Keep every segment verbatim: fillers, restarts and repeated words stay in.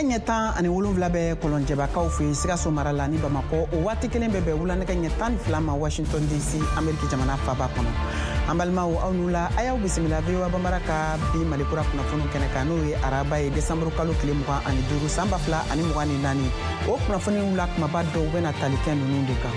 ɲɛ tan ani wolonwula bɛ kɔlɔnjɛbakaw fɛ yen Sikaso mara la ni Bamakɔ. O waati kelen bɛ bɛn wulanɛgɛ ɲɛ tan ni fila ma Washington D C, Ameriki jamana faba kɔnɔ. An balimaw, aw n'u la, a y'aw bisimila V O A Bambara ka bi Malikura kunnafoniw kɛnɛ kan, n'o ye araba ye, desanburu kalo tile mugan ani duuru san ba fila ani mugan ni naani. O kunnafoniw la kumaba dɔw bɛna tali kɛ ninnu de kan: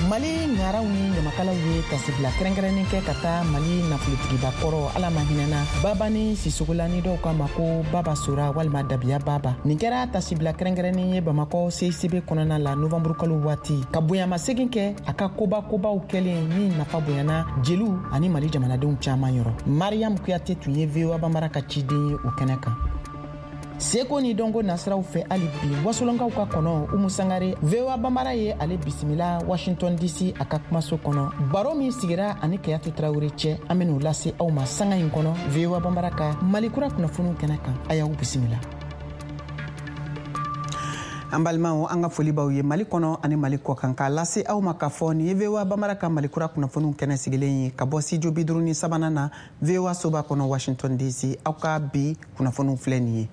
Mali ŋaraw ni ɲamakalaw ye tasibila kɛrɛnkɛrɛnnen kɛ ka taa Mali nafolotigiba kɔrɔ, Ala ma hinɛna, Babani Sisogola, ni dɔw k'a ma ko Baba Sora walima Dabiya Baba. Nin kɛra tasibila kɛrɛnkɛrɛnnen ye Bamakɔ C I C B kɔnɔna la novanburu kalo waati, ka bonyamasegin kɛ a ka koba kobaw kɛlen min nafa bonyana jeliw ani Mali jamanadenw caaman yɔrɔ. Mariam Kuyate tun ye V O A Bambara ka ciden ye o kɛnɛ kan. Seko ni dɔnko nasiraw fɛ, hali bi wasolonkaw ka kɔnɔ Umu Sangare, V O A Bambara ye ale bisimila Washington D C a ka kumaso kɔnɔ. Baro min sigira ani Kayatu Tarawure cɛ, an ben'o lase aw ma sanga in kɔnɔ V O A Bambara ka Malikura kunnafoniw kɛnɛ kan. A y'aw bisimila. An balimaw, an ka foli b'aw ye Mali kɔnɔ ani Mali kɔ kan, k'a lase aw ma k'a fɔ nin ye V O A Bambara ka Malikura kunnafoniw kɛnɛ sigilen ye ka bɔ studio bi duuru ni sabanan na, V O A soba kɔnɔ, Washington D C. Aw ka bi kunnafoniw filɛ nin ye: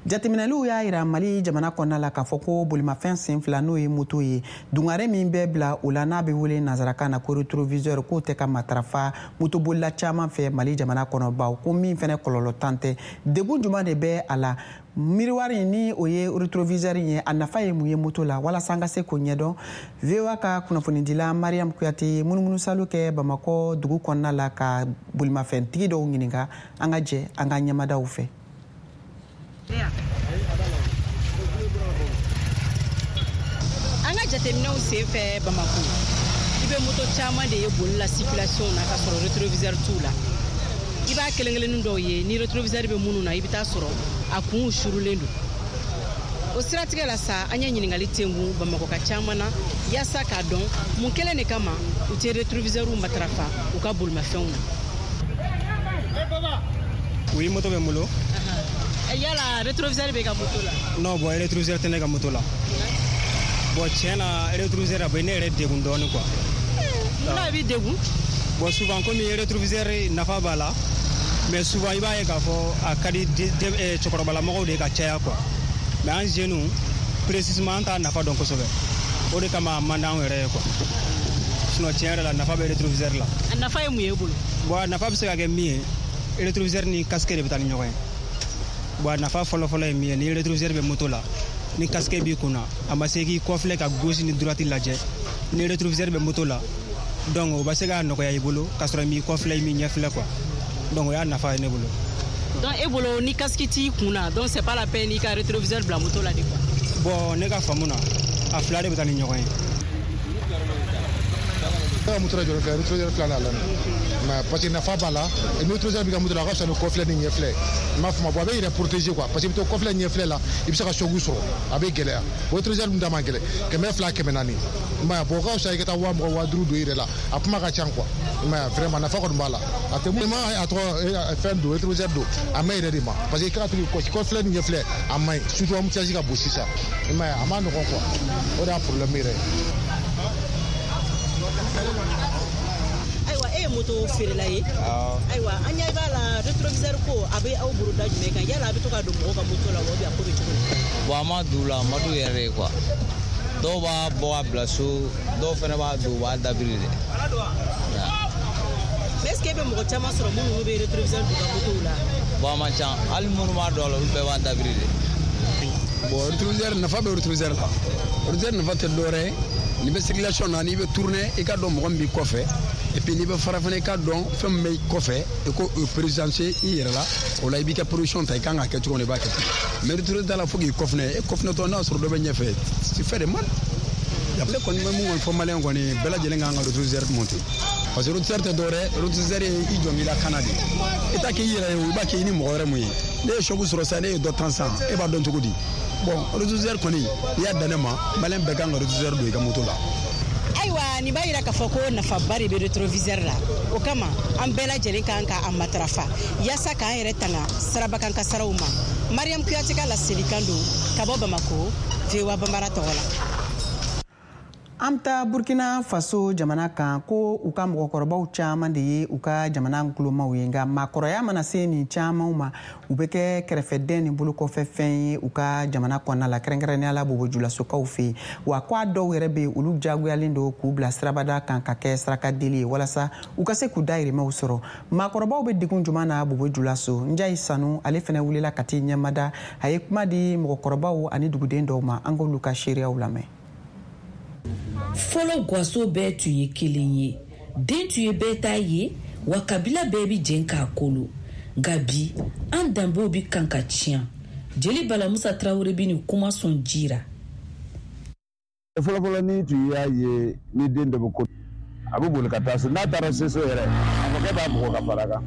jateminɛliw y'a yira Mali jamana kɔnɔna la k'a fɔ ko bolimafɛn sen fila, n'o ye moto ye, dungare min bɛ bila o la n'a bɛ wele nansarakan na ko rétroviseur, k'o tɛ ka matarafa motobolila caman fɛ Mali jamana kɔnɔ, baw ko min fɛnɛ kɔlɔlɔ tan tɛ. Degun juman de bɛ a la? Miroir ni o ye rétroviseur ye, a nafa ye mun ye moto la? Walasa an ka se k'o ɲɛdɔn, V O A ka kunnafonidila Mariam Kuyate ye munumunusalo kɛ Bamakɔ dugu kɔnɔna la ka bolimafɛntigi dɔw ɲininka. An ka jɛ an ka ɲɛmadaw fɛ. An ka jateminɛw sen fɛ Bamako, i bɛ moto caman de ye boli la circulation na ka sɔrɔ rétroviseur t'u la. I b'a kelen kelennin dɔw ye ni rétroviseur bɛ minnu na, i bɛ taa sɔrɔ a kunw surulen don. O siratigɛ la sa, an ye ɲininkali tengun Bamakɔ ka caman na yaasa k'a dɔn mun kelen de kama u tɛ rétroviseurw matarafa u ka bolimafɛnw na. Oui, moto bɛ n bolo. Yala rétroviseur bɛ ka moto la? Non, bon, rétroviseur tɛ ne ka moto la. Bon, tiɲɛ na, rétroviseur a bɛ ne yɛrɛ degun dɔɔnin quoi. Munna a b'i degun? Bon, souvent, komi rétroviseur nafa b'a la, mais souvent i b'a ye k'a fɔ a ka di cɛkɔrɔbalamɔgɔw de ka caya quoi. Mais an jeunes, précisément, an t'a nafa dɔn kosɛbɛ. O de kama a man d'anw yɛrɛ ye quoi. Sinon, tiɲɛ yɛrɛ la, nafa bɛ rétroviseur la. A nafa ye mun ye e bolo? Bon, a nafa bɛ se ka kɛ min ye, rétroviseur ni casque de bɛ taa ni ɲɔgɔn ye. Bon, a nafa fɔlɔ-fɔlɔ ye min ye, ni rétroviseur bɛ moto la, ni casque b'i kunna, a ma se k'i kɔfilɛ ka gauche ni droite lajɛ. Ni rétroviseur bɛ moto la, donc o bɛ se ka nɔgɔya i bolo k'a sɔrɔ i m'i kɔfilɛ, i m'i ɲɛfilɛ quoi. Donc o y'a nafa ye ne bolo. Donc e bolo, ni casque t'i kun na, donc c'est pas la peine i ka rétroviseur bila moto la de quoi? Bon, ne ka faamu na, a fila de bɛ taa ni ɲɔgɔn ye. Ne ka moto la jɔlen filɛ, rétroviseur filɛ la mais parce que nafa b'a la. Ni rétroviseur b'i ka moto la, a ka fisa ni kɔfilɛ ni ɲɛfilɛ, i m'a faamu. Bon, a bɛ yɛrɛ protéger quoi, parce que i bɛ to kɔfilɛ ɲɛfilɛ la, i bɛ se ka choc sɔrɔ, a bɛ gɛlɛya. O rétroviseur dun da man gɛlɛn, kɛmɛ fila, kɛmɛ naani, i m'a ye. Bon, o ka fisa i ka taa waa mugan, waa duuru don i yɛrɛ la, a kuma ka ca quoi, i m'a ye. Vraiment, nafa kɔni b'a la. A tɛ mun ma, a tɔgɔ fɛn don, rétroviseur don, a ma yɛrɛ de ma, parce que i ka to k'i kɔfilɛ ni ɲɛfilɛ, a man ɲi, surtout embouteillage ka bon sisan, i m'a ye, a ma nɔgɔn quoi. O de y'a problème yɛrɛ ye. Ayiwa, e ye moto feerela ye. Ayiwa, an ɲɛ b'a la, rétroviseur ko a bɛ aw bolo da jumɛn kan? Yala a bɛ to ka don mɔgɔw ka moto la wa, ou bien a ko bɛ cogo di? Bon, a ma don la, a ma don yɛrɛ de quoi. Dɔw b'a bɔ ka bila so, dɔw fana b'a don, u b'a dabiri de. Mais est ce que e bɛ mɔgɔ caman sɔrɔ minnu bɛ rétroviseur don ka motow la? Bon, a man ca. Hali minnu b'a don a la, olu bɛɛ b'a dabiri de. Bon, rétroviseur, nafa bɛ rétroviseur la. Rétroviseur nafa tɛ dɔwɛrɛ ye, n'i bɛ circulation na, n'i bɛ tourner, i ka dɔn mɔgɔ min b'i kɔfɛ. Et puis n'i bɛ fara fana, i ka dɔn fɛn min bɛ kɔfɛ, i ko o présenter i yɛrɛ la. O la, i b'i ka position ta, i kan ka kɛ cogo min, i b'a kɛ ten. Mais rétroviseur t'a la fo k'i kɔfilɛ, e kɔfilɛtɔ, n'a sɔrɔ dɔ bɛ ɲɛfɛ, tu fais de mal. Ne kɔni bɛ mun kɔni fɔ maliyɛn kɔni bɛɛ lajɛlen kan ka rétroviseur monter, parce que rétroviseur tɛ dɔwɛrɛ, rétroviseur ye i jɔ k'i lakana de. I t'a kɛ i yɛrɛ ye o, i b'a kɛ i ni mɔgɔ wɛrɛ mun ye. Ne ye choc sɔrɔ sisan, ne ye dɔ tan sisan, e b'a dɔn cogo di? Bon, rétroviseur kɔni, n'i y'a dan ne ma, maliyɛn bɛɛ kan ka rétroviseur don i ka moto la. Ayiwa, nin b'a yira k'a fɔ ko nafaba de bɛ rétroviseur la. O kama, an bɛɛ lajɛlen kan ka a matarafa yaasa k'an yɛrɛ tanga sirabakan kasaraw ma. Mariam Kuyate ka laselikan don ka bɔ Bamako, V O A Bambara tɔgɔ la. An bɛ taa Burkina Faso jamana kan ko u ka mɔgɔkɔrɔbaw caman de ye u ka jamana nkulomaw ye, nka maakɔrɔya mana se nin camanw ma, u bɛ kɛ kɛrɛfɛdɛn ni bolokɔfɛfɛn ye u ka jamana kɔnɔna la, kɛrɛnkɛrɛnnenya la bobojulasokaw fɛ yen. Wa ko a dɔw yɛrɛ bɛ yen, olu diyagoyalen don k'u bila sirabada kan ka kɛ sarakadeli ye walasa u ka se k'u dahirimɛw sɔrɔ. Maakɔrɔbaw bɛ degun jumɛn na bobojulaso? Njayi Sanu ale fana wulila ka t'i ɲɛmada, a ye kuma di mɔgɔkɔrɔbaw ani duguden dɔw ma, an k'olu ka seereyaw lamɛn. Fɔlɔ gaso bɛɛ tun ye kelen ye, den tun ye bɛɛ ta ye, wa kabila bɛɛ bi jɛn k'a kolo. Nka bi an danbew bi kan ka tiɲɛ. Jeli Bala Musa Tarawele bi nin kuma sɔn jira. Fɔlɔfɔlɔ ni tun y'a ye ni den dɔ bɛ ko, a bɛ boli ka taa so. N'a taara se so yɛrɛ, a fakɛ b'a bugɔ ka fara kan.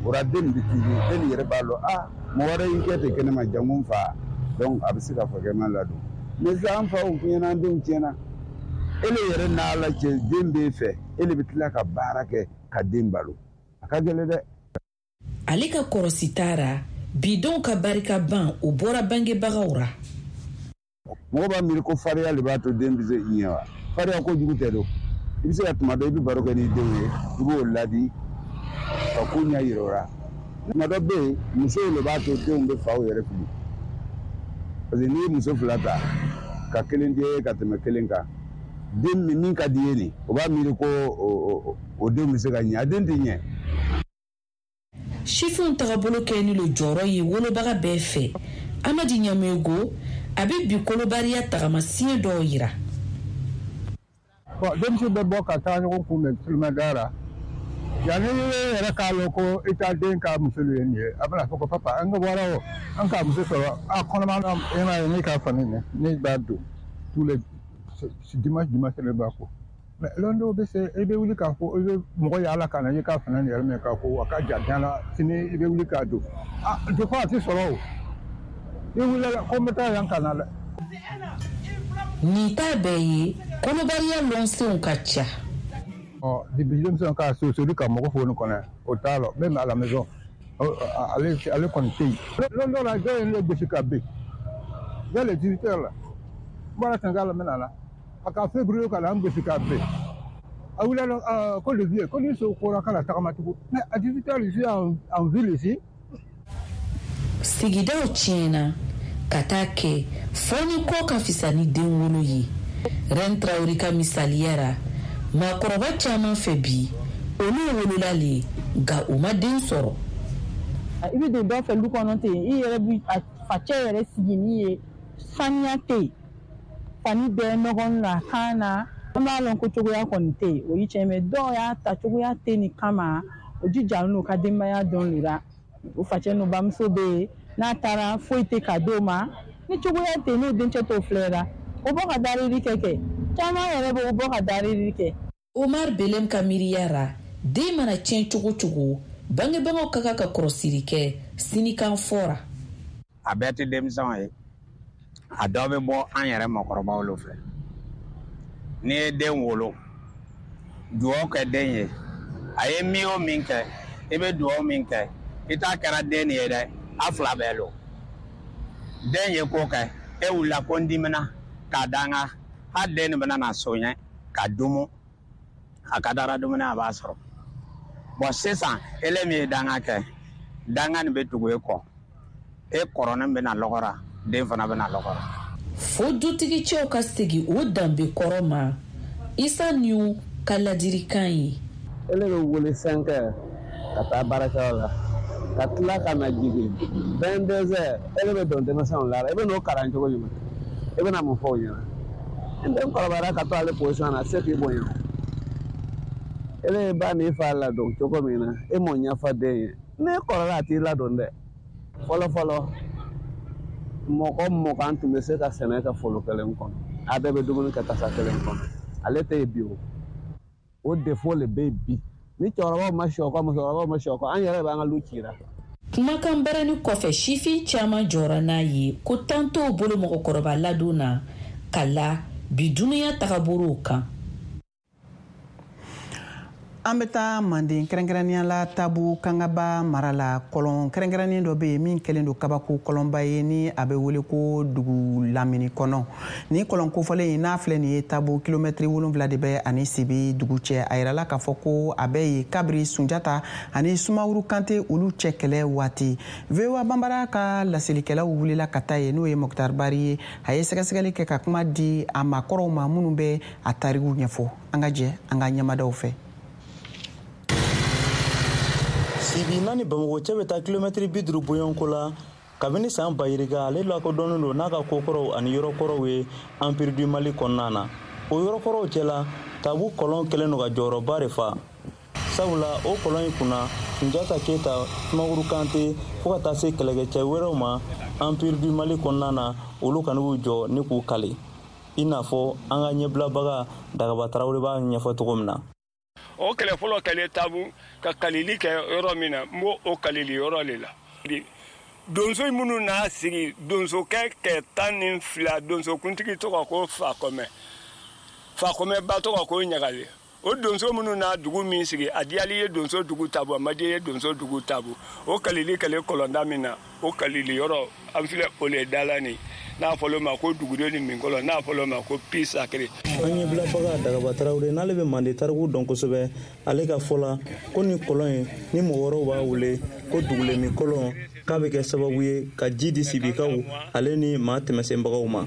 O la den bɛ k'i ye, den yɛrɛ b'a lɔn, a mɔgɔ wɛrɛ y'i kɛ ten kɛnɛma janko n fa, donc a bɛ se ka fakɛ ma ladon. Mais sisan an faw tiɲɛna, an denw tiɲɛna. Ele yɛrɛ n'Ala cɛ, den b'e fɛ, ele bɛ tila ka baara kɛ ka den balo, a ka gɛlɛn dɛ. Ale ka kɔrɔsi taara bidenw ka barika ban, o bɔra bangebagaw ra. Mɔgɔ b'a miiri ko farinya de b'a to den bɛ se i ɲɛ wa? Farinya kojugu tɛ don. I bɛ se ka tuma dɔ i bɛ baro kɛ n'i denw ye, i b'o ladi ka ko ɲɛ yira o la. Tuma dɔ bɛ yen, musow de b'a to denw bɛ faw yɛrɛ fili. Parce que n'i ye muso fila ta ka kelen di e ka tɛmɛ kelen kan, den min ka di ye nin, o b'a miiri ko o den bɛ se ka ɲɛ, a den tɛ ɲɛ. Sifinw tagabolo kɛ ni lo jɔyɔrɔ ye wolobaga bɛɛ fɛ. Amadi Ɲamego a bɛ bi kolobariya tagamasiyɛn dɔw yira. Bon, denmisɛn bɛ bɔ ka taa ɲɔgɔn kunbɛn tulomɛda la. Yanni e yɛrɛ k'a lɔn ko i t'a den ka muso ye nin ye, a bɛna fɔ ko papa an ka bɔra o, an ka muso sɔrɔ a kɔnɔma na, e m'a ye ne ka fani nin ne b'a don tous les dimanche dimanche ne b'a ko. Mais lɔn dɔw bɛ se i bɛ wuli k'a fɔ i bɛ mɔgɔ yaala ka na i ka fani yɛrɛ minɛ k'a ko a ka ja jan la, sini i bɛ wuli k'a don. Ah, des fois a tɛ sɔrɔ o. I wulila ko n bɛ taa yan ka na dɛ. Nin t'a bɛɛ ye, kɔnɔbariya lɔnsenw ka ca. Ɔ depuis denmisɛnw ka sosoli ka mɔgɔ fo nin kɔnɔ, o t'a lɔ, même à la maison, ale ale kɔni tɛ yen. Lɔn dɔ la dɔw ye ne gosi ka bin vers les dix-huit heures la, n bɔra Senegal la n bɛ na la, a ka février ka na n gosi ka bin. A wulila ko le vieux ko ni so kora kana tagama tugun, mais à dix-huit heures je suis en, en ville ici. Sigidaw tiɲɛna ka taa kɛ fɔ ni kɔ ka fisa ni den wolo ye. Ren Traoré ka misaliya ra, maakɔrɔba caman fɛ bi, olu wolola le nka u ma den sɔrɔ. I bɛ don dɔ fɛ lu kɔnɔ ten, i yɛrɛ bi a facɛ yɛrɛ sigi min ye, saniya tɛ yen, fani bɛɛ nɔgɔn la kan na, an b'a lɔn ko cogoya kɔni tɛ yen, o ye tiɲɛ ye. Dɔw y'a ta cogoya tɛ nin kama, o jija n'u ka denbaya dɔn le la, o facɛ n'u bamuso bɛ yen, n'a taara foyi tɛ ka d'o ma, ni cogoya tɛ yen n'o dencɛ t'o filɛ la, o bɔ ka darili kɛ kɛ caman yɛrɛ bɛ o bɔ ka darili kɛ. Omar Belem ka miiriya ra, den mana tiɲɛ cogo cogo, bangebagaw ka kan ka kɔrɔsiri kɛ sinikan fɔra. A bɛɛ tɛ denmisɛnw ye, a dɔ bɛ bɔ an yɛrɛ mɔgɔkɔrɔbaw lo fɛ. N'i ye den wolo, duwawu kɛ den ye, a ye min o min kɛ, i bɛ duwawu min kɛ, i t'a kɛra den ye dɛ, a fila bɛɛ lo. Den ye ko kɛ, e wulila ko n dimina k'a danga, hali den nin bɛna na soɲɛ ka dumu, a ka dara dumuni a b'a sɔrɔ. Bɔn sisan ele min ye danga kɛ, danga nin bɛ tugu e kɔ, e kɔrɔnin bɛna lɔgɔra, den fana bɛna lɔgɔra. Fo dutigi cɛw ka segin o danbe kɔrɔ ma, Isa Niu ka ladilikan ye. Ele bɛ wele cinq heures ka taa baarakɛyɔrɔ la, ka tila ka na jigin vingt-deux heures, ele bɛ don denmisɛnw la, i bɛ n'o kalan cogo jumɛn? I bɛna mun fɔ o ɲɛna? Ni den kɔrɔbayara ka to ale position na, a tɛ se k'i bonya. Ele ye ba n'i fa ladon cogo min na, e m'o ɲɛfɔ den ye. N'e kɔrɔla a t'i ladon dɛ. Fɔlɔ fɔlɔ, mɔgɔ mugan tun bɛ se ka sɛnɛ kɛ foro kelen kɔnɔ, a bɛɛ bɛ dumuni kɛ tasa kelen kɔnɔ. Ale tɛ yen bi o. O défaut le bɛ yen bi. Ni cɛkɔrɔbaw ma sɔ kɔ, musokɔrɔbaw ma sɔ kɔ, an yɛrɛ b'an ka lu cira. Kumakan barani kɔfɛ, sifin caman jɔra n'a ye ko tan t'o bolo mɔgɔkɔrɔba ladon na ka la bi dunuya tagabolow kan. An bɛ taa Manden, kɛrɛnkɛrɛnnenya la Tabu Kangaba mara la. Kɔlɔn kɛrɛnkɛrɛnnen dɔ bɛ yen min kɛlen don kabako kɔlɔnba ye, ni a bɛ wele ko dugu lamini kɔnɔ. Ni kɔlɔn kofɔlen in n'a filɛ nin ye, Tabu kilomɛtiri wolonwula de bɛ ani Sibi dugu cɛ. A yirala k'a fɔ ko a bɛ yen kabiri Sunjata ani Sumaworo Kante olu cɛ kɛlɛ waati. V O A Banbara ka laselikɛlaw wulila ka taa yen, n'o ye Mokhtar Bari ye. A ye sɛgɛsɛgɛli kɛ ka kuma di a maakɔrɔw ma minnu bɛ a tariku ɲɛfɔ. An ka jɛ an ka ɲɛmadaw fɛ. Sibi n'a ni Bamakɔ cɛ bɛ taa kilomɛtiri bi duuru bɔɲɔgɔnko la. Kabini san bayirika, ale lakodɔnnen don n'a ka kokɔrɔw ani yɔrɔkɔrɔw ye Empire du Mali kɔnɔna na. O yɔrɔkɔrɔw cɛla, Tabu kɔlɔn kɛlen don ka jɔyɔrɔba de fa, sabula o kɔlɔn in kunna, Sunjata Keyita, Sumaworo Kante, fo ka taa se kɛlɛkɛcɛ wɛrɛw ma Empire du Mali kɔnɔna na, olu kana y'u jɔ ni k'u kale, i n'a fɔ an ka ɲɛbilabaga Dagaba Tarawele b'a ɲɛfɔ cogo min na. O kɛlɛ fɔlɔ kɛlen Tabu, ka kalili kɛ yɔrɔ min na, n b'o o kalili yɔrɔ de la. Donso minnu n'a sigi, donsokɛ kɛ tan ni fila, donsokuntigi tɔgɔ ko Fakɔmɛ, Fakɔmɛ ba tɔgɔ ko Ɲagale. O donso minnu n'a dugu min sigi, a diyali ye donso dugu Tabu, a ma diya ye donso dugu Tabu. O kalili kɛlen kɔlɔnda min na, o kalili yɔrɔ an filɛ o le da la nin, n'a fɔlɔ ma ko duguden ni minkɔlɔ, n'a fɔlɔ ma ko puits sacré. An ɲɛbilabaga Dagaba Tarawele, n'ale bɛ Mande tariku dɔn kosɛbɛ, ale ka fɔ la ko nin kɔlɔn in ni mɔgɔ wɛrɛw b'a wele ko dugulemi kɔlɔn, k'a bɛ kɛ sababu ye ka ji di Sibikaw ale ni maa tɛmɛsenbagaw ma.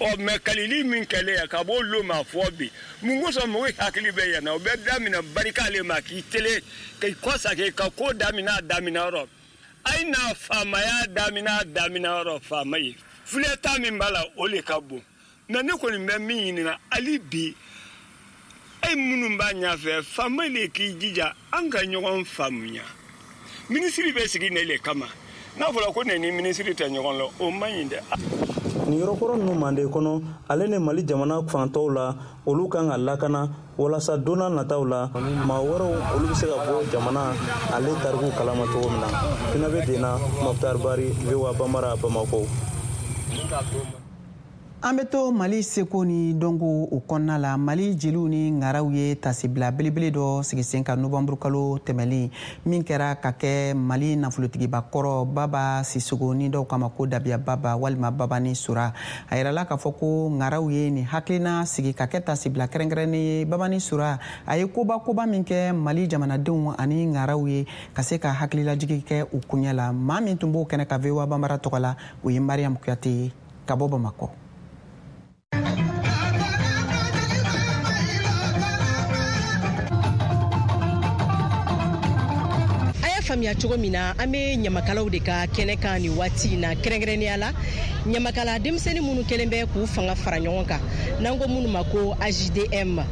Ɔ mɛ, kalili min kɛlen yan ka b'o lo ma fɔ bi, mun kosɔn mɔgɔ hakili bɛ yan na? O bɛ daminɛ barika le ma k'i tele k'i kɔsake ka ko daminɛ a daminɛ yɔrɔ. A ye na faamaya daminɛ a daminɛ yɔrɔ. Faama ye filɛta min b'a la, o le ka bon. Mɛ ne kɔni bɛ min ɲininka hali bi, e minnu b'a ɲɛfɛ, faama le k'i jija an ka ɲɔgɔn faamuya. Minisiri bɛ sigi ne le kama. N'a fɔra ko ne ni minisiri tɛ ɲɔgɔn la, o man ɲi dɛ. Nin yɔrɔkɔrɔ ninnu Mande kɔnɔ ale ni Mali jamana fantɔw la, olu kan ka lakana walasa don n'a nataw la, maa wɛrɛw olu bɛ se ka bɔ jamana ale tariku kalama cogo min na. Fina bɛ den na, Mokhtar Bari, V O A Bamara, Bamakɔ. An bɛ to Mali seko ni dɔnko o kɔnɔna la. Mali jeliw ni ŋaraw ye tasibila belebele dɔ sigi sen kan novanburu kalo tɛmɛlen min kɛra ka kɛ Mali nafolotigiba kɔrɔ Baba Sisogo, ni dɔw kama ko Dabiya Baba walima Babani Sora. A yirala k'a fɔ ko ŋaraw ye nin hakilina sigi ka kɛ tasibila kɛrɛnkɛrɛnnen ye Babani Sora, a ye koba koba min kɛ Mali jamanadenw ani ŋaraw ye, ka se ka hakililajigi kɛ u kuɲɛ la. Maa min tun b'o kɛnɛ ka V O A Banbara tɔgɔ la, o ye Mariam Kuyate ye ka bɔ Bamakɔ. Faamuya cogo min na, an bɛ ɲamakalaw de ka kɛnɛ kan nin waati in na, kɛrɛnkɛrɛnnenya la ɲamakala denmisɛnnin minnu kɛlen bɛ k'u fanga fara ɲɔgɔn kan, n'an ko minnu ma ko A J D M,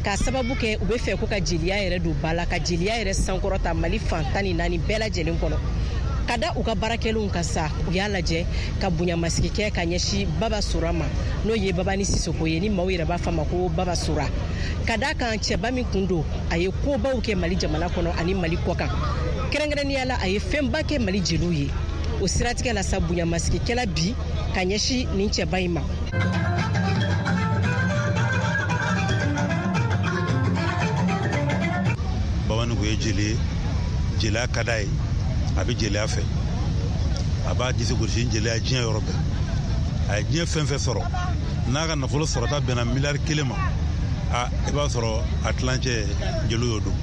k'a sababu kɛ u bɛ fɛ ko ka jeliya yɛrɛ don ba la, ka jeliya yɛrɛ sankɔrɔta Mali fan tan ni naani bɛɛ lajɛlen kɔnɔ. Ka da u ka baarakɛlenw kan sa, u y'a lajɛ ka bonyamasigi kɛ ka ɲɛsin Baba Sora ma, n'o ye Babani Sisoko ye, ni maaw yɛrɛ b'a fɔ a ma ko Baba Sora, ka da kan cɛba min kun don, a ye kobaw kɛ Mali jamana kɔnɔ ani Mali kɔ kan. Kɛrɛnkɛrɛnnenya la, a ye fɛnba kɛ Mali jeliw ye. O siratigɛ la sa, bonyamasigi bi ka ɲɛsin nin cɛba in ma. Babani kun ye jeli ye, jeliya ka d'a ye, a bɛ jeliya fɛ, a b'a disi gosi ni jeliya diɲɛ yɔrɔ bɛɛ. A ye diɲɛ fɛn fɛn sɔrɔ, n'a ka nafolo sɔrɔta bɛnna miliyari kelen ma, a i b'a sɔrɔ a tilancɛ jeliw y'o don,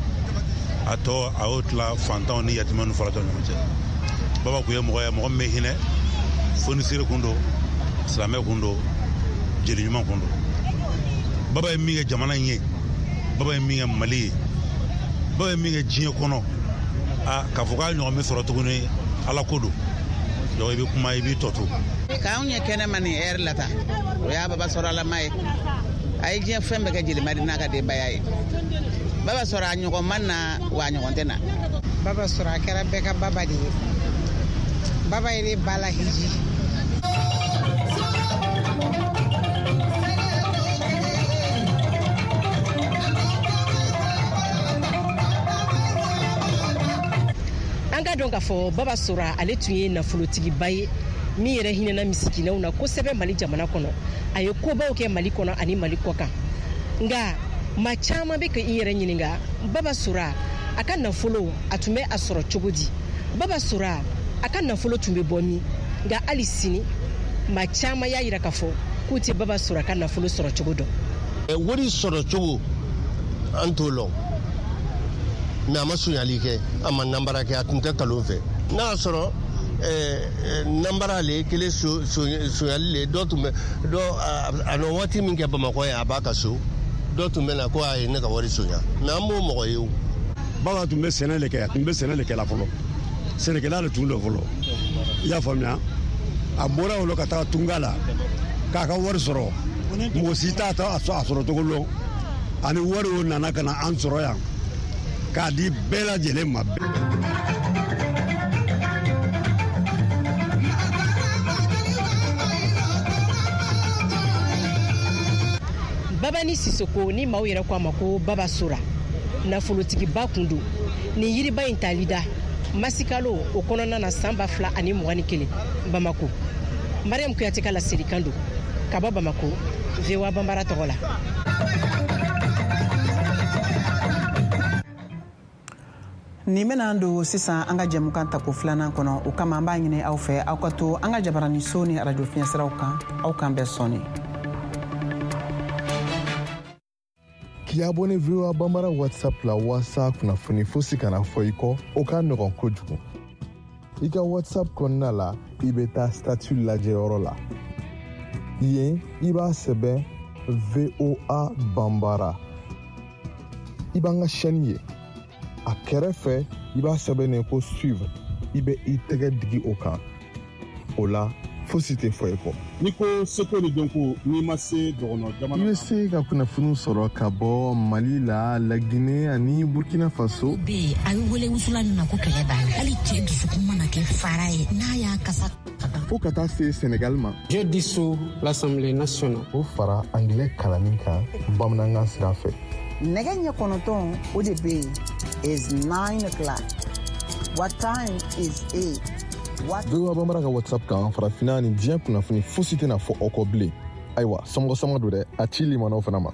a tɔ a y'o tila fantanw ni yatimɛw ni falatɔw ni ɲɔgɔn cɛ. Baba kun ye mɔgɔ ye, mɔgɔ min bɛ hinɛ. Fonisire kun don, silamɛ kun don, jeli ɲuman kun don. Baba ye min kɛ jamana in ye, baba ye min kɛ Mali ye, baba ye min kɛ diɲɛ kɔnɔ, a k'a fɔ k'a ɲɔgɔn bɛ sɔrɔ tuguni, Ala ko don. Donc i bɛ kuma, i b'i tɔ to. K'anw ye kɛnɛma nin ɛri la ta, o y'a Baba sɔrɔ alama ye. A ye diɲɛ fɛn bɛɛ kɛ jelimadi n'a ka denbaya ye. Baba sɔrɔ, a ɲɔgɔn ma na wa a ɲɔgɔn tɛ na. Baba sɔrɔ, a kɛra bɛɛ ka baba de ye. Baba ye ne ba la hiji. An ka dɔn k'a fɔ Baba Sora, ale tun ye nafolotigiba ye min yɛrɛ hinɛna misikinɛw na kosɛbɛ Mali jamana kɔnɔ. A ye kobaw kɛ Mali kɔnɔ ani Mali kɔ kan, nka Maa caman bɛ ka i yɛrɛ ɲininka Baba Sora a ka nafolo a tun bɛ a sɔrɔ cogo di? Baba Sora a ka nafolo tun bɛ bɔ min? Nka hali sini maa caman y'a yira k'a fɔ k'u tɛ Baba Sora ka nafolo sɔrɔ cogo dɔn. Wari sɔrɔ cogo an t'o lɔn, mais a ma sonyali kɛ, a ma nanbara kɛ, a tun tɛ kalon fɛ. N'a y'a sɔrɔ nanbara le kelen sonyali le, dɔ tun bɛ dɔ a nɔ waati min kɛ Bamakɔ yan, a b'a ka so, dɔ tun bɛ na ko a ye ne ka wari sonya, mais an b'o mɔgɔ ye o. Baba tun bɛ sɛnɛ de kɛ, a tun bɛ sɛnɛ de kɛ la fɔlɔ, sɛnɛkɛla de tun don fɔlɔ, i y'a faamuya. A bɔra o la ka taa tunga la k'a ka wari sɔrɔ, mɔgɔ si t'a a sɔrɔ cogo lɔn, ani wari o nana ka na an sɔrɔ yan k'a di bɛɛ lajɛlen ma. Babani Sisoko ni maaw yɛrɛ ko a ma ko Baba Sora, nafolotigiba kun don. Nin yiriba in tali da masikalo o kɔnɔna na san ba fila ani mugan ni kelen Bamako. Mariam Kuyate ka laselikan don ka bɔ Bamako, V O A Banbara tɔgɔ la. Nin bɛna an don sisan an ka jɛmukan tako filanan kɔnɔ. O kama an b'a ɲini aw fɛ aw ka to an ka jabaraniso ni arajo fiɲɛsiraw kan. Aw k'an bɛɛ sɔnni. K'i abonné V O A Banbara WhatsApp la walasa kunnafoni fosi kana fɔ i kɔ, o ka nɔgɔn kojugu. I ka WhatsApp kɔnɔna la, i bɛ taa statut lajɛyɔrɔ la. Yen, i b'a sɛbɛn V O A Banbara. I b'an ka chaîne ye. A kɛrɛfɛ, i b'a sɛbɛn ko suivre. I bɛ i tɛgɛ digi o kan. O la, fosi tɛ fɔ i kɔ. N'i ko seko ni dɔnko, n'i ma se dɔgɔnɔ jamana, i bɛ se ka kunnafoniw sɔrɔ ka bɔ Mali la, Laginɛ ani Burkina Faso. Bɛ a bɛ wele wusulan min ma ko kɛlɛ b'a la. Hali cɛ dusukun mana kɛ fara ye, n'a y'a kasa. Fo ka taa se Senegal ma. Je dissous l'Assemblée nationale. O fara anglais kalanni kan bamanankan sira fɛ. Nɛgɛ ɲɛ kɔnɔntɔn o de bɛ yen. Is nine o'clock. What time is it? V O A Banbara ka WhatsApp kan, farafinna ni diɲɛ kunnafoni fosi tɛna fɔ aw kɔ bilen. Ayiwa, somɔgɔ sama don dɛ, a ci limanaw fana ma.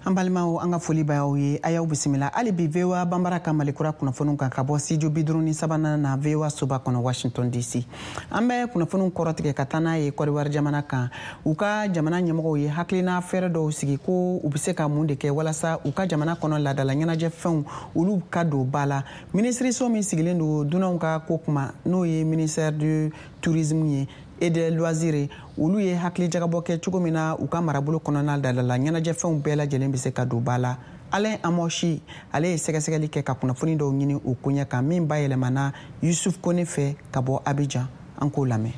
An balimaw, an ka foli b'aw ye, a y'aw bisimila hali bi V O A Banbara ka Malikura kunnafoniw kan ka bɔ studio bi duuru ni sabanan na V O A soba kɔnɔ Washington D C. An bɛ kunnafoniw kɔrɔtigɛ ka taa n'a ye Kɔdiwari jamana kan. U ka jamana ɲɛmɔgɔw ye hakilina fɛɛrɛ dɔw sigi ko u bɛ se ka mun de kɛ walasa u ka jamana kɔnɔ laadala ɲɛnajɛfɛnw olu ka don ba la. Minisiriso min sigilen don dunanw ka ko kuma, n'o ye ministère du tourisme ye et des loisirs, olu ye hakili jagabɔ kɛ cogo min na u ka marabolo kɔnɔna laadala ɲɛnajɛfɛnw bɛɛ lajɛlen bɛ se ka don ba la. Alain Amoshi, ale ye sɛgɛsɛgɛli kɛ ka kunnafoni dɔw ɲini o koɲɛ kan min bayɛlɛmana Yusuf Kone fɛ ka bɔ Abidjan. An k'o lamɛn.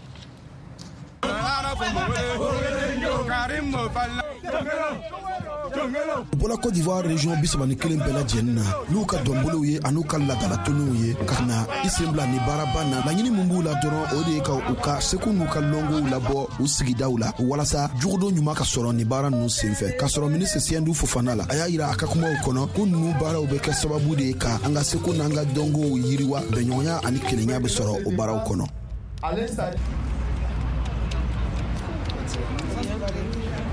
U bɔra Côte d'Ivoire région bi saba ni kelen bɛɛ lajɛlen na n'u ka dɔnbolow ye an'u ka laadalatɔnniw ye ka na i sen bila ni baaraba na. Laɲini min b'u la dɔrɔn, o de ye ka u ka seko n'u ka lɔngow labɔ u sigidaw la walasa jogodon ɲuman ka sɔrɔ ni baara ninnu senfɛ. K'a sɔrɔ minisiri Siyɛndu Fofana la, a y'a yira a ka kumaw kɔnɔ ko ninnu baaraw bɛ kɛ sababu de ye ka an ka seko n'an ka dɔnkow yiriwa, bɛnɲɔgɔnya ani kelenya bɛ sɔrɔ o baaraw kɔnɔ.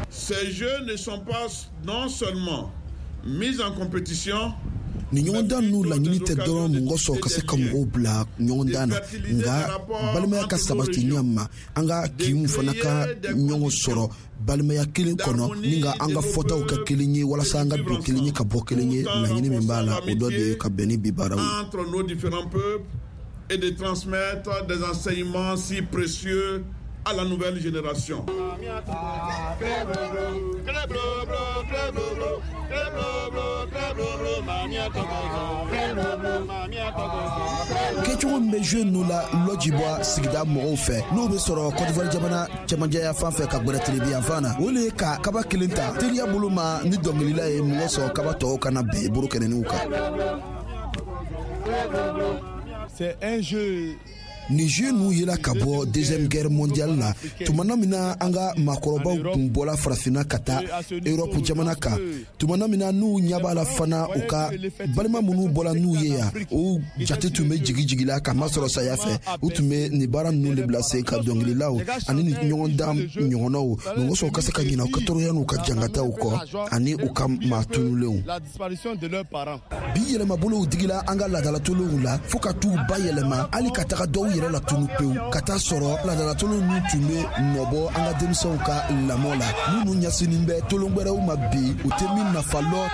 Ces jeux ne sont pas non seulement mis en compétition, Ni ɲɔgɔndan ninnu laɲini tɛ dɔrɔn mɔgɔ sɔrɔ ka se ka mɔgɔw bila ɲɔgɔndan na, nka balimaya ka sabati ɲɛ ma, an ka kinw fana ka ɲɔgɔn sɔrɔ balimaya kelen kɔnɔ, ni ka an ka fɔtaw kɛ kelen ye walasa an ka don kelen ye ka bɔ kelen ye. Laɲini min b'a la, o dɔ de ye ka bɛn ni bi baaraw ye. Entre nos différents peuples et de transmettre des enseignements si précieux à la nouvelle génération. Kɛcogo min bɛ jeu ninnu la lɔjibɔ sigida mɔgɔw fɛ, n'o bɛ sɔrɔ Côte d'Ivoire jamana cɛmancɛya fan fɛ ka gbɛrɛ tilebin fan na, o le ye ka kaba kelen ta teriya bolo ma ni dɔnkilila ye mɔgɔ sɔrɔ kaba tɔw kana bɛn bolo kɛnɛninw kan. C'est un jeu Nin jeu ninnu yela ka bɔ deuxième guerre mondiale la, tumana min na an ka maakɔrɔbaw tun bɔla farafinna ka taa Europe jamana kan, tumana min na n'u ɲɛ b'a la fana, u ka balima minnu bɔla n'u ye yan, o jate tun bɛ jigi jigi la k'a masɔrɔ saya fɛ. U tun bɛ nin baara ninnu de bila sen kan, dɔnkililaw ani ni ɲɔgɔndan ɲɔgɔnnaw, mɔgɔ sɔrɔ ka se ka ɲinɛ u ka tɔɔrɔya n'u ka jangataw kɔ ani u ka maa tunulenw. Bi yɛlɛmabolow digila an ka laadalatɔnw la fo ka t'u ba yɛlɛma, hali ka taga dɔw yɛrɛ la tunu pewu, ka taa sɔrɔ laadalatɔnw ninnu tun bɛ nɔbɔ an ka denmisɛnw ka lamɔ la, minnu ɲɛsinnen bɛ tolon wɛrɛw ma bi, u tɛ min nafa lɔ.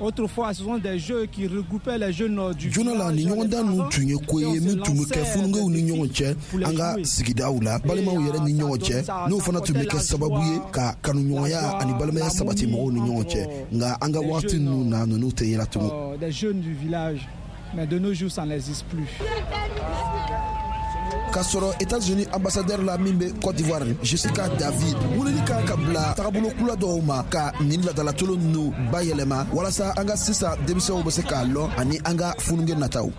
Autrefois, ce sont des jeux qui regroupaient les jeunes du Joona la, ni ɲɔgɔndan ninnu tun ye ko ye min tun bɛ kɛ fununkɛw ni ɲɔgɔn cɛ an ka sigidaw la, balimaw yɛrɛ ni ɲɔgɔn cɛ, n'o fana tun bɛ kɛ sababu ye ka kanuɲɔgɔnya ani balimaya sabati mɔgɔw ni ɲɔgɔn cɛ. Nka an ka wagati ninnu na, ninnu tɛ yela tugun. Des jeunes du village, mais de nos jours, ça n'existe plus. K'a sɔrɔ États-Unis ambassadeur la min bɛ Côte d'Ivoire, Jessica David, weleli kan ka bila tagabolo kura dɔw ma ka nin laadalatɔn ninnu bayɛlɛma, walasa an ka sisan denmisɛnw bɛ se k'a lɔn ani an ka funukɛ nataw.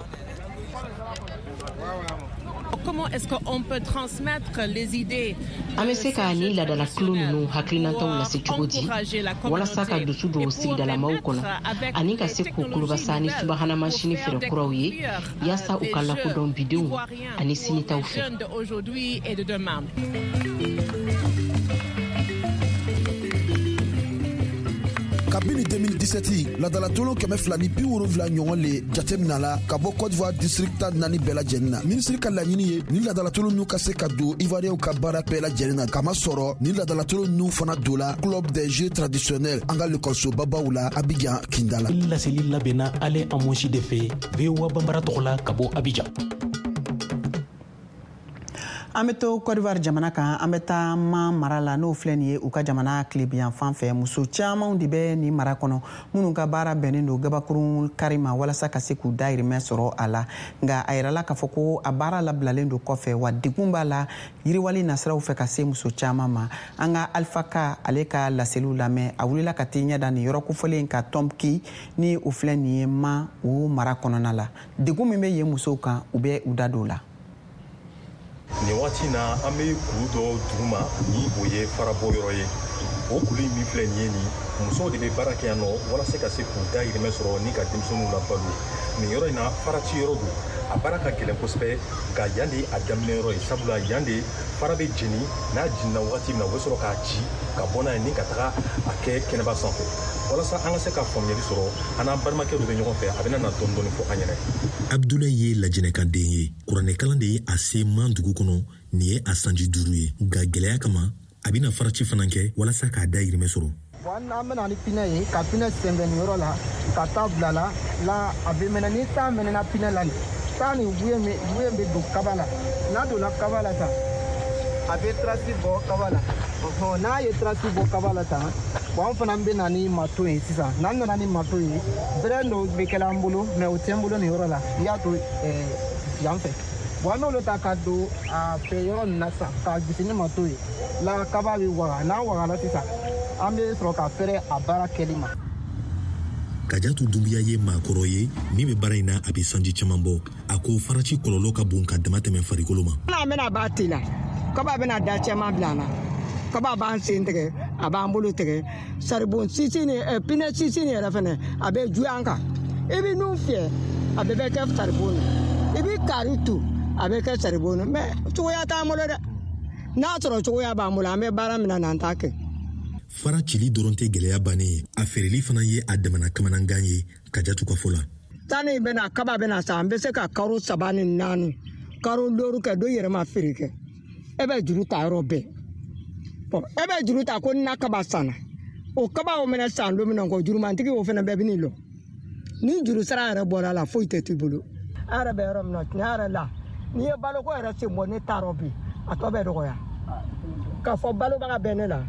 Comment est-ce qu'on peut transmettre les idées? An bɛ se ka nin laadalakulu ninnu hakilinataw lase cogo di walasa ka dusu don sigidalamaw kɔnɔ ani ka se k'u kulobasa ni subahana masini fɛɛrɛ kuraw ye, yaasa u ka lakodɔn bidenw ani sinitaw fɛ? Kabini deux mille dix-sept, laadalatɔn kɛmɛ fila ni bi wolonfila ɲɔgɔn le jateminɛ la ka bɔ Côte d'Ivoire district tan naani bɛɛ lajɛlen na. Minisiri ka laɲini ye ni laadalatɔn ninnu ka se ka don Ivoiriyɛnw ka baara bɛɛ lajɛlen na, kamasɔrɔ ni laadalatɔn ninnu fana don la club des jeux traditionnels an ka lekɔlisobabaw la Abidjan kinda la. Laseli labɛnna Ale Amosi de fɛ, V O A Banbara tɔgɔ la, ka bɔ Abidjan. An bɛ to Côte d'Ivoire jamana kan, an bɛ taa Man mara la, n'o filɛ nin ye u ka jamana tilebiyan fɛ. Muso camanw de bɛ nin mara kɔnɔ minnu ka baara bɛnnen don gabakurun kari ma walasa ka se k'u dahirimɛ sɔrɔ a la. Nka a yirala k'a fɔ ko a baara labilalen don kɔfɛ, wa degun b'a la yiriwali nasiraw fɛ ka se muso caman ma. An ka Alpha Ka, ale ka laseliw lamɛn. A wulila ka t'i ɲɛ da nin yɔrɔ kofɔlen ka Tɔnki, ni o filɛ nin ye Man o mara kɔnɔna la. Degun min bɛ yen musow kan, u bɛ u da don o la. Nin waati na, an bɛ kulu dɔ duguma ni o ye farabɔ yɔrɔ ye. O kulu in min filɛ nin ye, nin musow de bɛ baara kɛ yan nɔ walasa ka se k'u dahirimɛ sɔrɔ ni ka denmisɛnninw labalo. Nin yɔrɔ in na, faraci yɔrɔ don, a baara ka gɛlɛn kosɛbɛ, nka yan de a daminɛ yɔrɔ ye, sabula yan de fara bɛ jeni. N'a jenina wagati min na, u bɛ sɔrɔ k'a ci ka bɔ n'a ye ni ka taga a kɛ kɛnɛba sanfɛ. Walasa an ka se ka faamuyali sɔrɔ, an n'an balimakɛ dɔ bɛ ɲɔgɔn fɛ, a bɛna na dɔɔni dɔɔni fɔ an ɲɛna. Abdulayi ye lajɛnɛkaden ye. Kuranɛkalan de ye a se Man dugu kɔnɔ. Nin ye a sanji duuru ye, nka gwɛlɛya kama, a bɛna faraci fana kɛ walasa k'a dahirimɛ sɔrɔ. Bon, an bɛna ni pinɛ ye ka pinɛ sɛnbɛn nin yɔrɔ la ka taa bila la la a bɛ mɛnɛ. Ni taa mɛnɛna pinɛ la, nin taa nin wuye wuye bɛ don kaba la. N'a donna kaba la tan, a bɛ trace bɔ kaba la. Ɔhɔn, n'a ye trace bɔ kaba la tan, bon, an fana bɛ na ni marteau ye sisan. N'an nana ni marteau ye, bɛrɛ dɔw bɛ kɛla an bolo, mais o tɛ n bolo nin yɔrɔ la. I y'a to yan fɛ. Bon, an b'olu ta ka don a fɛ yɔrɔ nin na sisan k'a gosi ni marteau ye la, kaba bɛ waga. N'a wagala sisan, an bɛ sɔrɔ ka fɛrɛ a baara kɛli ma. Kajatu Dunbiya ye maakɔrɔ ye min bɛ baara in na, a bɛ sanji caman bɔ. A ko faraci kɔlɔlɔ ka bon ka dama tɛmɛ farikolo ma. N'an bɛna b'a teliya, kaba bɛna da caman bila an na. Kaba b'an sen tigɛ, a b'an bolo tigɛ. Saribɔn sisi ni pinɛ sisi ni yɛrɛ fɛnɛ, a bɛ juguya an kan. I bɛ nun fiyɛ, a bɛɛ bɛ kɛ saribɔn na. I bɛ kari tu, a bɛ kɛ saribɔn na. Mais cogoya t'an bolo dɛ. N'a sɔrɔ cogoya b'an bolo, an bɛ baara min na, n'an t'a kɛ. Fara cili dɔrɔn tɛ gwɛlɛya bannen ye, a feereli fana ye a damana kamanangan ye, Kajatu ka fɔ la. Tani bɛna kaba bɛna sa, an bɛ se ka karo saba ni naani, karo looru kɛ, dɔ yɛrɛ ma feere kɛ. E bɛ juru ta yɔrɔ bɛɛ. Bon, e bɛ juru ta ko na kaba sanna, o kaba o mɛnɛ san don min na ko jurumantigi o fana bɛɛ bɛ n'i lɔ. Ni juru sara yɛrɛ bɔra a la, foyi tɛ t'i bolo. An yɛrɛ bɛ yɔrɔ min na, tiɲɛ yɛrɛ la, n'i ye baloko yɛrɛ sen bɔ ne taarɔ bi, a tɔ bɛ dɔgɔya. K'a fɔ balobaga bɛ ne la,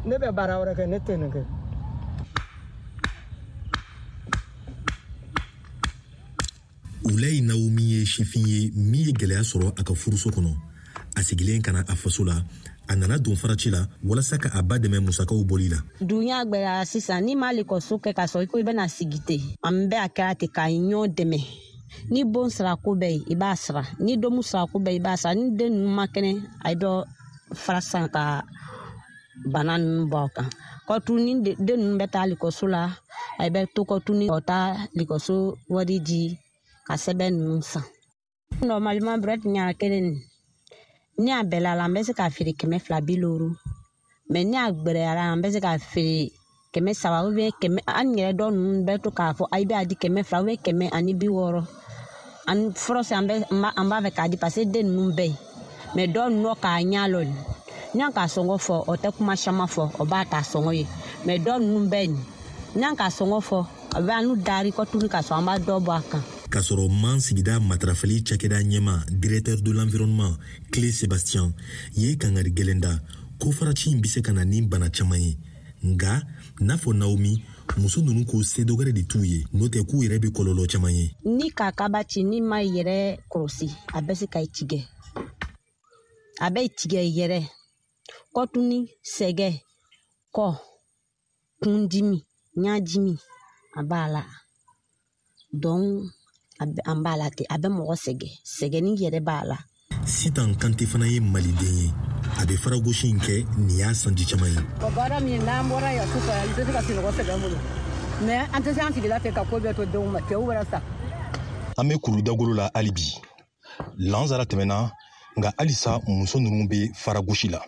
ne bɛ baara wɛrɛ kɛ, ne tɛ nin kɛ. Ulayi Naomi ye sifin ye min ye gɛlɛya sɔrɔ a ka furuso kɔnɔ. A sigilen ka na a faso la, a nana don faraci la walasa ka a ba dɛmɛ musakaw bɔli la. Dunya gwɛlɛyara sisan. N'i ma lekɔliso kɛ ka sɔrɔ i ko i bɛna sigi ten, an bɛɛ a kɛra ten ka ɲɔgɔn dɛmɛ. Ni bon sara ko bɛɛ ye, i b'a sara. Ni domu sara ko bɛɛ, i b'a sara. Ni den ninnu ma kɛnɛ, a ye dɔ fara san ka bana ninnu bɔ a kan. Kɔtu ni den ninnu bɛ taa likɔso la, a bɛ to kɔtu ni ka taa likɔso wari di ka sɛbɛn ninnu san. Normalement brouette ɲa kelen nin, ni a bɛlɛ la, an bɛ se k'a feere kɛmɛ fila bi looro. Mais ni a gbɛrɛyara, an bɛ se k'a feere kɛmɛ saba ou bien kɛmɛ. An yɛrɛ dɔw ninnu bɛ to k'a fɔ ayi bɛ a di kɛmɛ fila ou bien kɛmɛ ani bi wɔɔrɔ. An fɔlɔ an bɛ an b'a fɛ k'a di parce que den ninnu bɛ yen. Mais dɔw ninnu k'a ɲɛ lɔ nin, n'an k'a sɔngɔ fɔ, o tɛ kuma caman fɔ, o b'a ta sɔngɔ ye. Mais dɔw ninnu bɛ yen, n'an k'a sɔngɔ fɔ, a bɛ an n'u dari kɔtuni k'a sɔrɔ an b'a dɔ bɔ a kan. K'a sɔrɔ Man sigida matarafali cakɛda ɲɛma, directeur de l'environnement Clé Sébastien, ye kangari gɛlɛn da ko faraci in bɛ se ka na ni bana caman ye. Nka n'a fɔ Naomi, muso ninnu ko se dɔ wɛrɛ de t'u ye, n'o tɛ k'u yɛrɛ bɛ kɔlɔlɔ caman ye. Ni ka kaba ci, n'i ma yɛrɛ kɔlɔsi, a bɛ se ka i tigɛ. A bɛ tigɛ yɛrɛ. Kɔtuni, sɛgɛ, kɔ, kundimi, ɲadimi, a b'a la. Donc an b'a la ten, a bɛ mɔgɔ sɛgɛ, sɛgɛnni yɛrɛ b'a la. Sitan Kante fana ye maliden ye. A bɛ faragosi in kɛ nin y'a sanji caman ye. O baara min n'an bɔra yan sufɛ, an tɛ se ka sunɔgɔ sɛgɛn bolo. Mais an tɛ se an sigila ten ka ko bɛɛ to denw ma, cɛw wɛrɛ sa. An bɛ kuru dagolo la hali bi. Lansara tɛmɛna, nka halisa muso ninnu bɛ faragosi la.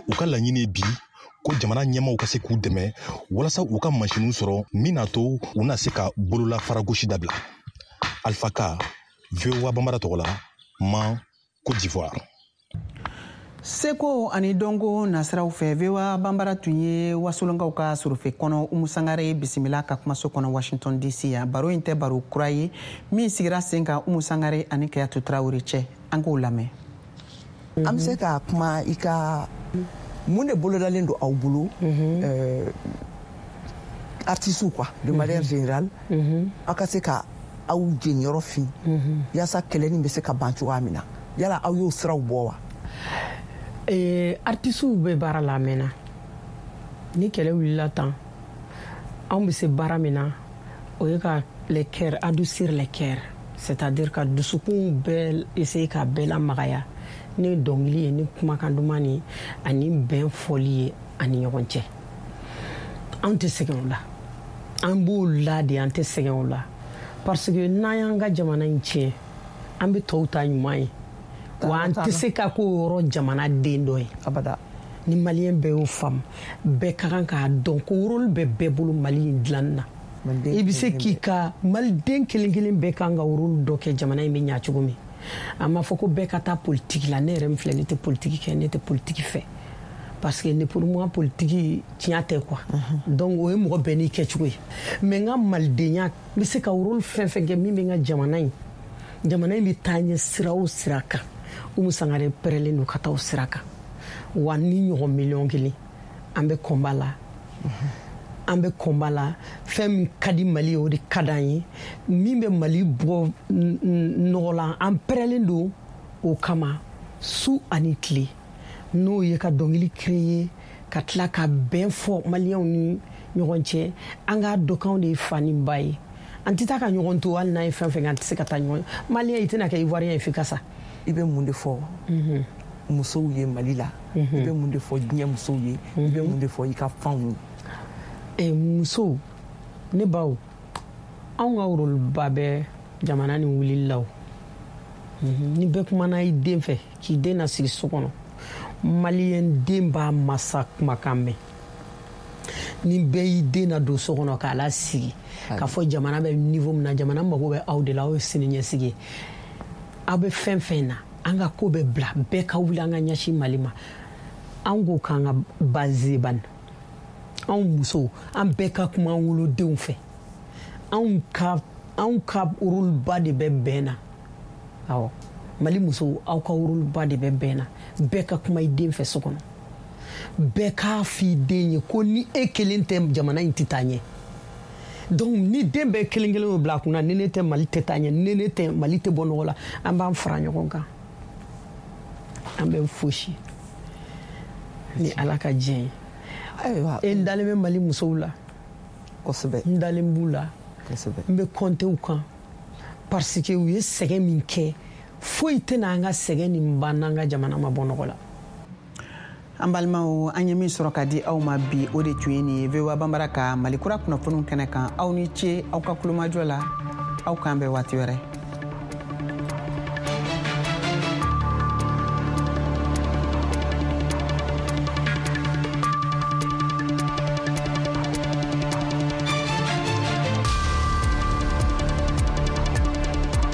U ka laɲini ye bi ko jamana ɲɛmaaw ka se k'u dɛmɛ walasa u ka mansinw sɔrɔ min n'a to u na se ka bolola faragosi dabila. Alpha Ka, V O A Bambara tɔgɔ la, Man, Côte d'Ivoire. Seko ani dɔnko nasiraw fɛ, V O A Bambara tun ye wasolonkaw ka sorofe kɔnɔ Umu Sangare bisimila ka kumaso kɔnɔ Washington D C yan. Baro in tɛ baro kura ye min sigira sen kan Umu Sangare ani Kayatu Tarawele cɛ. An k'o lamɛn. An bɛ se ka kuma i ka mun de bolodalen don aw bolo, artistes quoi, de manière générale, aw ka se ka aw jeniyɔrɔ fin yaasa kɛlɛ nin bɛ se ka ban cogoya min na, yala aw y'o siraw bɔ wa? Eh, artisiw bɛ baara la a mɛnna. Ni kɛlɛ wulila tan, anw bɛ se baara min na, o ye ka les cœurs adoucir, les cœurs, c'est-à-dire ka dusukun bɛɛ essayer ka bɛɛ lamagaya ni dɔnkili ye, ni kumakan duman ni ani bɛn fɔli ye ani ɲɔgɔn cɛ. Anw tɛ sɛgɛn o la, an b'o la de, an tɛ sɛgɛn o la, parce que n'an y'an ka jamana in tiɲɛ, an bɛ tɔw ta ɲuman ye. Wa an tɛ se ka k'o yɔrɔ jamana den dɔ ye abada. Ni maliyɛn bɛɛ y'o faamu, bɛɛ ka kan k'a dɔn ko rôle bɛ bɛɛ bolo Mali in dilanni na. I bɛ se k'i ka maliden kelen kelen bɛɛ kan ka rôle dɔ kɛ jamana in bɛ ɲa cogo min. A ma fɔ ko bɛɛ ka taa politique la. Ne yɛrɛ min filɛ, ne tɛ politique kɛ, ne tɛ politique fɛ, parce que ne pour moi politique tiɲɛ tɛ quoi. Donc o ye mɔgɔ bɛɛ n'i kɛcogo ye. Mais n ka malidenya, n bɛ se ka rôle fɛn fɛn kɛ min bɛ n ka jamana in, jamana in bɛ taa ɲɛ sira o sira kan, Umu Sangare pɛrɛlen don ka taa o sira kan. Wa ni ɲɔgɔn miliyɔn kelen, an bɛ combat la. An bɛ combat la. Fɛn min ka di Mali ye, o de ka d'an ye. Min bɛ Mali bɔ nɔgɔ la, an pɛrɛlen don o kama su ani tile. N'o ye ka dɔnkili créer, ka tila ka bɛn fɔ maliyɛnw ni ɲɔgɔn cɛ. An k'a dɔn k'anw de ye fa ni ba ye. An tɛ taa ka ɲɔgɔn to, hali n'an ye fɛn fɛn kɛ, an tɛ se ka taa ɲɔgɔn. Maliyɛn, i tɛna kɛ Ivoirien ye f'i ka sa. I bɛ mun de fɔ musow ye Mali la? I bɛ mun de fɔ diɲɛ musow ye? I bɛ mun de fɔ i ka fanw ye? Musow, ne baw, anw ka rôle ba bɛ jamana ni wulili la o. Ni bɛɛ kumana i den fɛ, k'i den nasigi so kɔnɔ, maliyɛn den b'a masa kumakan mɛn. Ni bɛɛ y'i den na don so kɔnɔ k'a lasigi, k'a fɔ jamana bɛ niveau min na, jamana mago bɛ aw de la, aw ye sini ɲɛsigi ye. Aw bɛ fɛn fɛn na, an ka ko bɛ bila, bɛɛ ka wuli an ka ɲɛsin Mali ma. An ko k'an ka base ban. Anw musow, an bɛɛ ka kuma an wolodenw fɛ. Anw ka anw ka rôle ba de bɛ bɛn na. Awɔ, Mali musow, aw ka rôle ba de bɛ bɛn na. Bɛɛ ka kuma i den fɛ so kɔnɔ. Bɛɛ k'a f'i den ye ko ni e kelen tɛ, jamana in tɛ taa ɲɛ. Donc ni den bɛɛ kelen kelen y'o bila a kunna, ni ne tɛ, Mali tɛ taa ɲɛ, ni ne tɛ, Mali tɛ bɔ nɔgɔ la, an b'an fara ɲɔgɔn kan. An bɛ fosi ni Ala ka diɲɛ ye. Ayiwa, e n dalen bɛ Mali musow la kosɛbɛ. N dalen b'u la kosɛbɛ. N bɛ compter u kan. Parce que u ye sɛgɛn min kɛ, foyi tɛna an ka sɛgɛn nin ban n'an ka jamana ma bɔ nɔgɔ la. An balimaw, an ye min sɔrɔ ka di aw ma bi, o de tun ye nin ye V O A Banbara ka Mali kura kunnafoniw kɛnɛ kan. Aw ni ce aw ka kulomajɔ la. Aw k'an bɛn waati wɛrɛ.